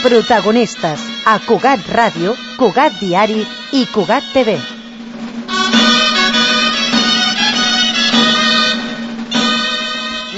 Protagonistes a Cugat Ràdio, Cugat Diari i Cugat TV.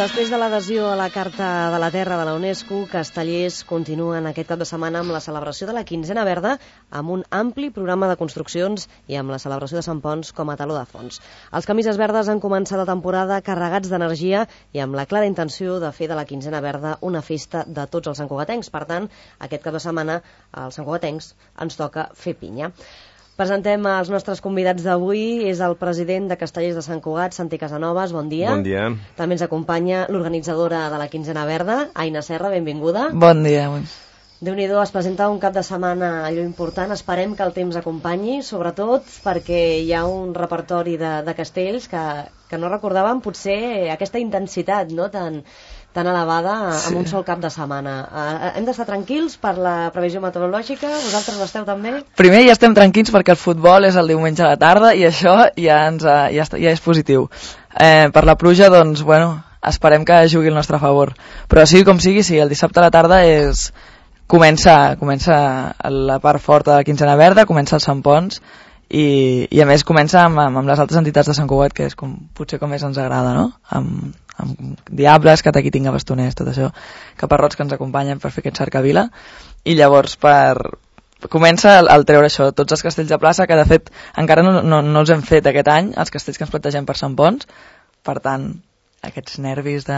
Després de l'adhesió a la Carta de la Terra de la UNESCO, Castellers continuen aquest cap de setmana amb la celebració de la Quinzena Verda, amb un ampli programa de construccions i amb la celebració de Sant Ponç com a teló de fons. Els camises verdes han començat la temporada carregats d'energia i amb la clara intenció de fer de la Quinzena Verda una festa de tots els santcugatencs. Per tant, aquest cap de setmana als santcugatencs ens toca fer pinya. Presentem els nostres convidats d'avui. És el president de Castellers de Sant Cugat, Santi Casanovas, bon dia. Bon dia. També ens acompanya l'organitzadora de la Quinzena Verda, Aina Serra, benvinguda. Bon dia. Déu-n'hi-do, es presenta un cap de setmana allò important. Esperem que el temps acompanyi, sobretot perquè hi ha un repertori de castells que no recordàvem potser aquesta intensitat, no?, tan elevada amb un sol cap de setmana. Hem d'estar tranquils per la previsió meteorològica? Vosaltres l'esteu també? Primer ja estem tranquils perquè el futbol és el diumenge a la tarda i això ja és positiu. Per la pluja, doncs, esperem que jugui el nostre favor. Però sigui com sigui, sí, el dissabte a la tarda comença la part forta de la Quinzena Verda, comença el Sant Ponç i a més comença amb les altres entitats de Sant Cugat, que és potser com més ens agrada, no? Amb diables, cataquitinga, bastoners, tot això, caparrots que ens acompanyen per fer aquest cercavila, i llavors comença el treure això, tots els castells de plaça, que de fet encara no els hem fet aquest any, els castells que ens plantegem per Sant Ponç, per tant aquests nervis de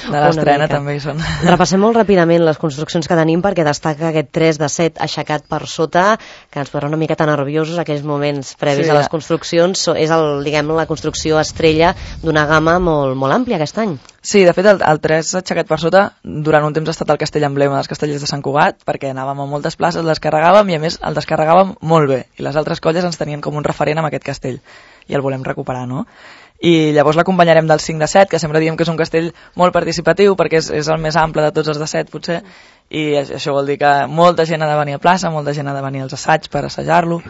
l'estrena també hi són. Repassem molt ràpidament les construccions que tenim, perquè destaca aquest 3 de 7 aixecat per sota, que ens posarà una miqueta nerviosos aquells moments previs a les construccions. És la construcció estrella d'una gamma molt àmplia aquest any. Sí, de fet el 3 aixecat per sota durant un temps ha estat el castell emblema dels castellers de Sant Cugat, perquè anàvem a moltes places, el descarregàvem i a més el descarregàvem molt bé, i les altres colles ens tenien com un referent amb aquest castell i el volem recuperar, no? I llavors l'acompanyarem del 5 de 7, que sempre diem que és un castell molt participatiu perquè és el més ample de tots els de 7 potser, i això vol dir que molta gent ha de venir a plaça, molta gent ha de venir als assaigs per assajar-lo,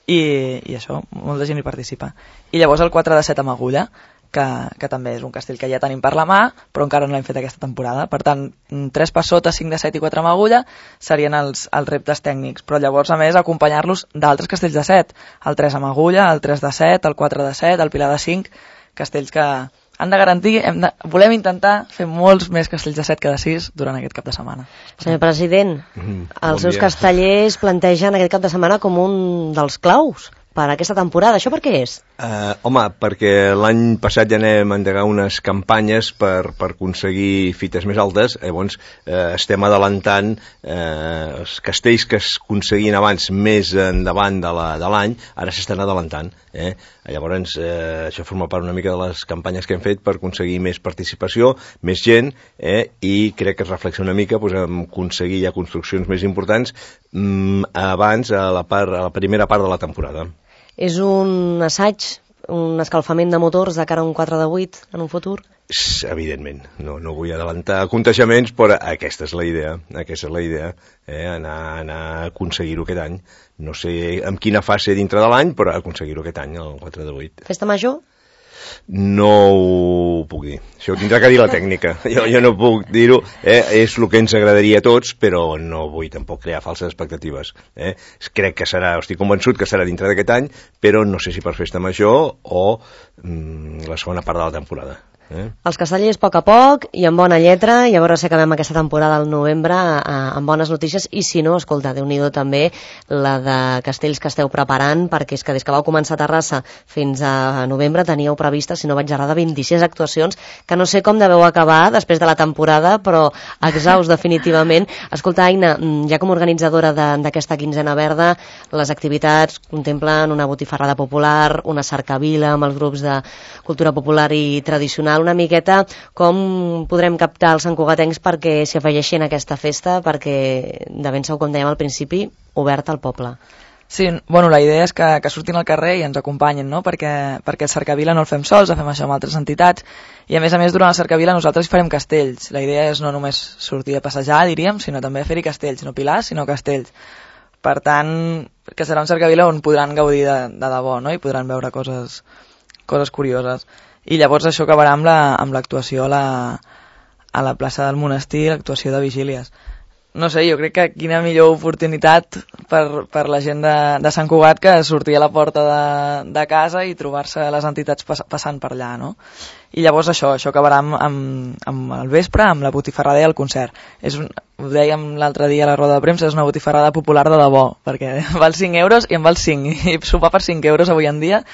i això, molta gent hi participa. I llavors el 4 de 7 amb agulla, que també és un castell que ja tenim per la mà, però encara no l'hem fet aquesta temporada. Per tant, 3 per sota, 5 de 7 i 4 amb agulla serien els reptes tècnics, però llavors a més acompanyar-los d'altres castells de 7, el 3 amb agulla, el 3 de 7, el 4 de 7, el pilar de 5, castells que han de garantir, volem intentar fer molts més castells de 7 que de 6 durant aquest cap de setmana. Senyor president, els seus castellers plantegen aquest cap de setmana com un dels claus per aquesta temporada. Això per què és? Home, perquè l'any passat ja anem a endegar unes campanyes per aconseguir fites més altes. Llavors estem adelantant els castells que es aconseguien abans més endavant de l'any, ara s'estan adelantant. Llavors això forma part una mica de les campanyes que hem fet per aconseguir més participació, més gent, i crec que es reflexa una mica en aconseguir ja construccions més importants abans, a la primera part de la temporada. És un assaig, un escalfament de motors de cara a un 4 de 8 en un futur? Evidentment, no vull adelantar aconteixements, però aquesta és la idea, anar a aconseguir-ho aquest any. No sé en quina fase dintre de l'any, però aconseguir-ho aquest any, el 4 de 8. Festa major? No ho puc dir, això ho tindrà que dir la tècnica, jo no puc dir-ho, és el que ens agradaria a tots, però no vull tampoc crear falses expectatives. Crec que estic convençut que serà dintre d'aquest any, però no sé si per festa major o la segona part de la temporada. Els castellers a poc i amb bona lletra, i a veure si acabem aquesta temporada al novembre amb bones notícies, i si no, escolta, Déu-n'hi-do també la de castells que esteu preparant, perquè és que des que vau començar a Terrassa fins a novembre teníeu previstes, si no vaig errada, 26 actuacions, que no sé com deveu acabar després de la temporada, però exhaust definitivament. Escolta, Aina, ja com a organitzadora d'aquesta Quinzena Verda, les activitats contemplen una botifarrada popular, una cercavila amb els grups de cultura popular i tradicional. Una miqueta com podrem captar els santcugatencs perquè s'hi afegeixin a aquesta festa, perquè de ben segur, com dèiem al principi, oberta al poble. Sí, la idea és que surtin al carrer i ens acompanyin, no? Perquè el cercavila no el fem sols, fem això amb altres entitats, i a més, durant el cercavila nosaltres hi farem castells. La idea és no només sortir a passejar, diríem, sinó també fer-hi castells, no pilars, sinó castells. Per tant, que serà un cercavila on podran gaudir de debò, no? I podran veure coses curioses. I llavors això acabarà amb l'actuació a la plaça del monestir, l'actuació de vigílies. no sé, jo crec que quina millor oportunitat per la gent de Sant Cugat que sortir a la porta de casa i trobar-se les entitats passant per allà, no? I llavors això acabarà amb el vespre, amb la botifarrada i el concert. Ho dèiem l'altre dia a la roda de premsa, és una botifarrada popular de debò, perquè val 5 euros i en val 5, i sopar per 5 euros avui en dia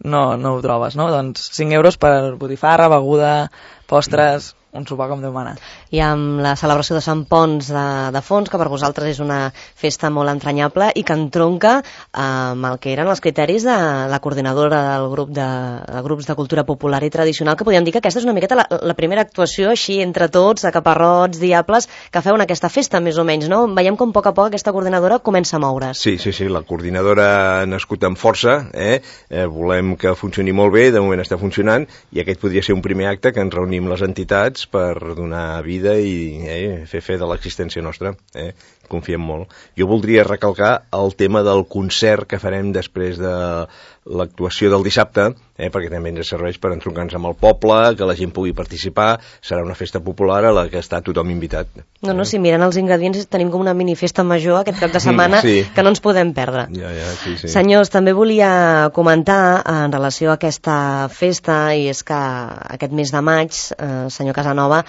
no ho trobes, no? Doncs 5 euros per botifarra, beguda, postres, un sopar com Déu mana. I amb la celebració de Sant Ponç de Fons, que per vosaltres és una festa molt entranyable i que entronca amb el que eren els criteris de la coordinadora del grup de grups de cultura popular i tradicional, que podríem dir que aquesta és una miqueta la primera actuació així entre tots, de caparrots, diables, que feuen aquesta festa més o menys, no? Veiem com a poc aquesta coordinadora comença a moure's. Sí, la coordinadora ha nascut amb força, volem que funcioni molt bé, de moment està funcionant, i aquest podria ser un primer acte que ens reunim les entitats per donar vida i fer fe de l'existència nostra. Confiem molt. Jo voldria recalcar el tema del concert que farem després de l'actuació del dissabte, perquè també ens serveix per entroncar-nos amb el poble, que la gent pugui participar. Serà una festa popular a la que està tothom invitat. No, si mirant els ingredients tenim com una minifesta major aquest cap de setmana que no ens podem perdre. Sí. Senyors, també volia comentar en relació a aquesta festa, i és que aquest mes de maig, senyor Casanova,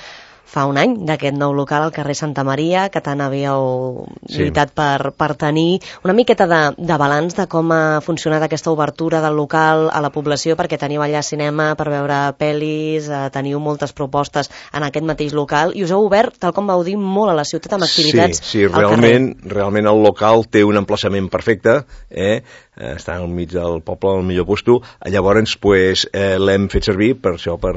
fa un any d'aquest nou local al carrer Santa Maria, que tant havíeu lluitat per tenir una miqueta de balanç de com ha funcionat aquesta obertura del local a la població, perquè teniu allà cinema per veure pel·lis, teniu moltes propostes en aquest mateix local, i us heu obert, tal com vau dir, molt a la ciutat amb activitats al carrer. Realment el local té un emplaçament perfecte, està al mig del poble, al millor puesto. Llavors l'hem fet servir per això, per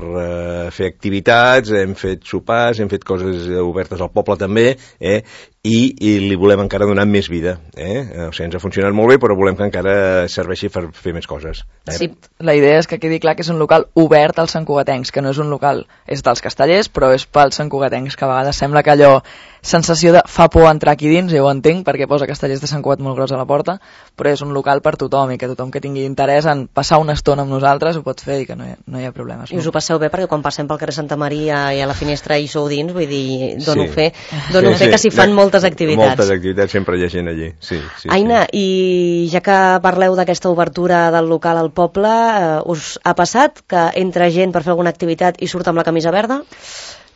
fer activitats, hem fet sopars, hem fet coses obertes al poble també, i li volem encara donar més vida. O sigui, ens ha funcionat molt bé, però volem que encara serveixi per fer més coses. Sí, la idea és que quedi clar que és un local obert als santcugatencs, que no és un local, és dels castellers, però és pels santcugatencs, que a vegades sembla que allò, sensació de fa por entrar aquí dins, jo ho entenc, perquè posa castellers de Sant Cugat molt gros a la porta, però és un local per tothom, i que tothom que tingui interès en passar una estona amb nosaltres ho pot fer, i que no hi ha problemes. I us ho passeu bé, perquè quan passem pel carrer Santa Maria i a la finestra hi sou dins, vull dir, dono fe que s'hi fan moltes activitats. Moltes activitats, sempre hi ha gent allí. Aina, i ja que parleu d'aquesta obertura del local al poble, us ha passat que entra gent per fer alguna activitat i surt amb la camisa verda?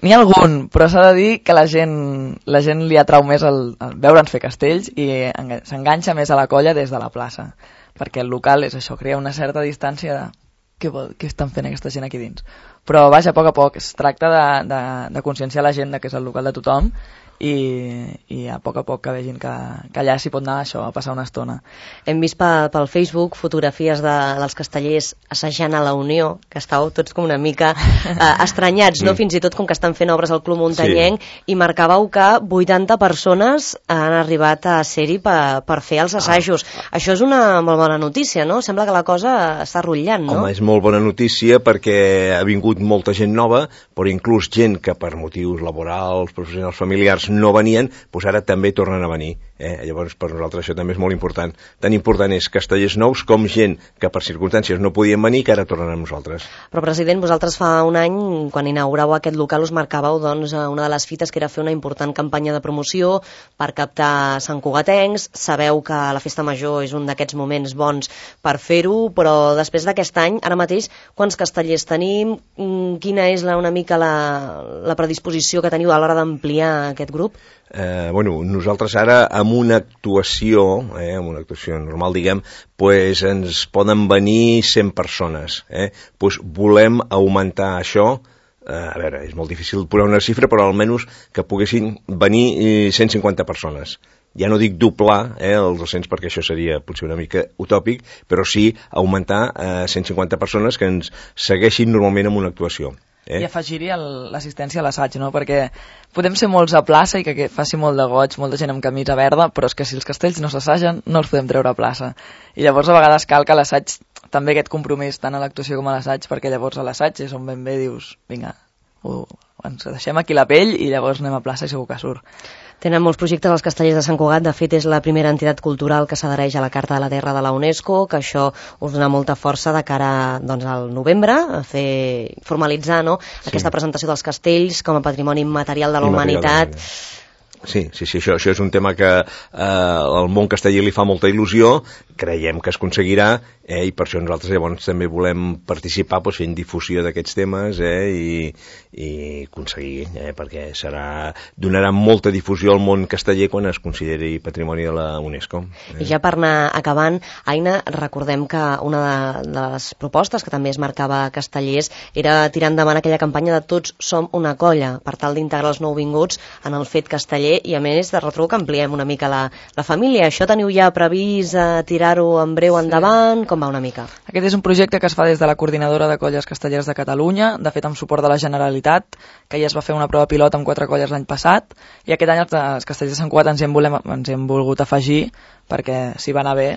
N'hi ha algun, però s'ha de dir que la gent li atrau més el veure'ns fer castells i s'enganxa més a la colla des de la plaça, perquè el local és això, crea una certa distància de què estan fent aquesta gent aquí dins. Però vaja, a poc, es tracta de conscienciar la gent que és el local de tothom, i a poc que vegin que allà s'hi pot anar això, a passar una estona. Hem vist pel Facebook fotografies dels castellers assajant a la Unió, que estàveu tots com una mica estranyats, no? Fins i tot com que estan fent obres al Club Muntanyenc, i marcàveu que 80 persones han arribat a ser-hi per fer els assajos. Això és una molt bona notícia, no? Sembla que la cosa està rotllant, no? Home, és molt bona notícia perquè ha vingut molta gent nova, però inclús gent que per motius laborals, professionals, familiars no venien, doncs ara també tornen a venir. Llavors per nosaltres això també és molt important. Tan important és castellers nous com gent que per circumstàncies no podien venir, que ara tornen amb nosaltres. Però president, vosaltres fa un any, quan inauguràveu aquest local, us marcàveu una de les fites que era fer una important campanya de promoció per captar santcugatencs. Sabeu que la festa major és un d'aquests moments bons per fer-ho, però després d'aquest any, ara mateix, quants castellers tenim? Quina és una mica la predisposició que teniu a l'hora d'ampliar aquest grup? Nosaltres ara amb una actuació normal, diguem, ens poden venir 100 persones. Volem augmentar això. A veure, és molt difícil posar una xifra, però almenys que poguessin venir 150 persones. Ja no dic doblar els 200, perquè això seria potser una mica utòpic, però sí augmentar 150 persones que ens segueixin normalment en una actuació. I afegiria l'assistència a l'assaig, no? Perquè podem ser molts a plaça i que faci molt de goig, molta gent amb camisa verda, però és que si els castells no s'assagen no els podem treure a plaça. I llavors a vegades cal que l'assaig, també aquest compromís tant a l'actuació com a l'assaig, perquè llavors a l'assaig és on ben bé dius, vinga, ens deixem aquí la pell i llavors anem a plaça i segur que surt. Tenen molts projectes als castellers de Sant Cugat. De fet, és la primera entitat cultural que s'adhereix a la Carta de la Terra de la UNESCO, que això us dona molta força de cara al novembre, a formalitzar aquesta presentació dels castells com a patrimoni immaterial de la humanitat. Sí, això és un tema que al món casteller li fa molta il·lusió, creiem que es aconseguirà, i per això nosaltres llavors també volem participar fent difusió d'aquests temes i aconseguir, perquè donarà molta difusió al món casteller quan es consideri patrimoni de la UNESCO. I ja per anar acabant, Aina, recordem que una de les propostes que també es marcava a Castellers era tirar endavant aquella campanya de Tots som una colla, per tal d'integrar els nouvinguts en el fet casteller i, a més, de retruc que ampliem una mica la família. Això teniu ja previst tirar-ho en breu endavant? Com va una mica? Aquest és un projecte que es fa des de la Coordinadora de Colles Castellers de Catalunya, de fet amb suport de la Generalitat, que ja es va fer una prova pilot amb 4 colles l'any passat, i aquest any els Castellers de Sant Cugat ens hi hem volgut afegir, perquè si va anar bé,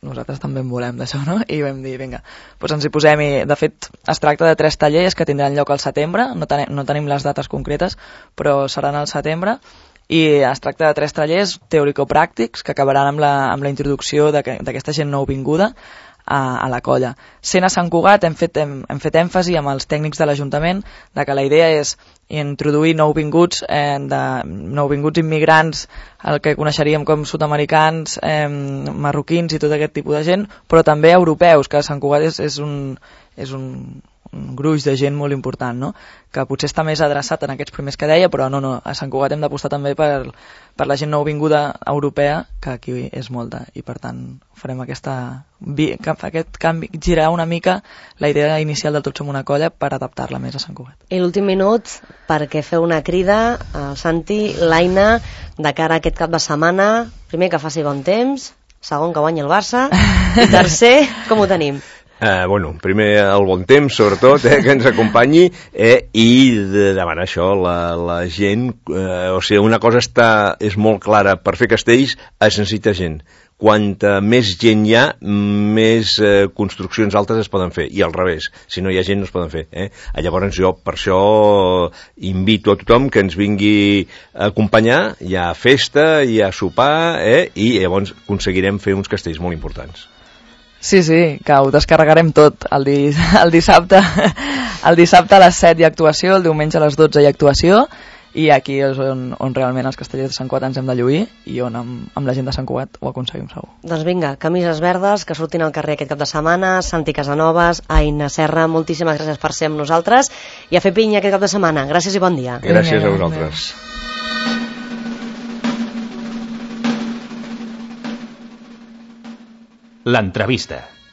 nosaltres també en volem d'això, no? I vam dir, vinga, doncs ens hi posem, i de fet es tracta de 3 tallers que tindran lloc al setembre, no tenim les dates concretes, però seran al setembre, i es tracta de 3 tallers teòrico-pràctics que acabaran amb la introducció d'aquesta gent nouvinguda a la colla. Sent a Sant Cugat hem fet èmfasi amb els tècnics de l'Ajuntament de que la idea és introduir nouvinguts immigrants, el que coneixeríem com sud-americans, marroquins i tot aquest tipus de gent, però també europeus, que Sant Cugat és un gruix de gent molt important, no? Que potser està més adreçat en aquests primers que deia, però no, a Sant Cugat hem d'apostar també per la gent nouvinguda europea, que aquí és molta, i per tant farem aquest canvi, girar una mica la idea inicial del Tots som una colla per adaptar-la més a Sant Cugat. I l'últim minut, perquè feu una crida al Santi, l'Aina, de cara a aquest cap de setmana, primer que faci bon temps, segon que guanyi el Barça, i tercer, com ho tenim? Primer el bon temps, sobretot, que ens acompanyi, i de demanar això, la gent, una cosa és molt clara, per fer castells es necessita gent. Quanta més gent hi ha, més construccions altes es poden fer, i al revés, si no hi ha gent no es poden fer. Llavors jo per això invito a tothom que ens vingui a acompanyar, hi ha festa, hi ha sopar, i llavors aconseguirem fer uns castells molt importants. Sí, que ho descarregarem tot el dissabte. El dissabte a les 7 hi ha actuació, el diumenge a les 12 hi ha actuació, i aquí és on realment els castellers de Sant Cugat ens hem de lluir, i on amb la gent de Sant Cugat ho aconseguim segur. Doncs vinga, camises verdes, que surtin al carrer aquest cap de setmana. Santi Casanovas, Aina Serra, moltíssimes gràcies per ser amb nosaltres, i a fer pinya aquest cap de setmana. Gràcies i bon dia. Gràcies a vosaltres. L'entrevista.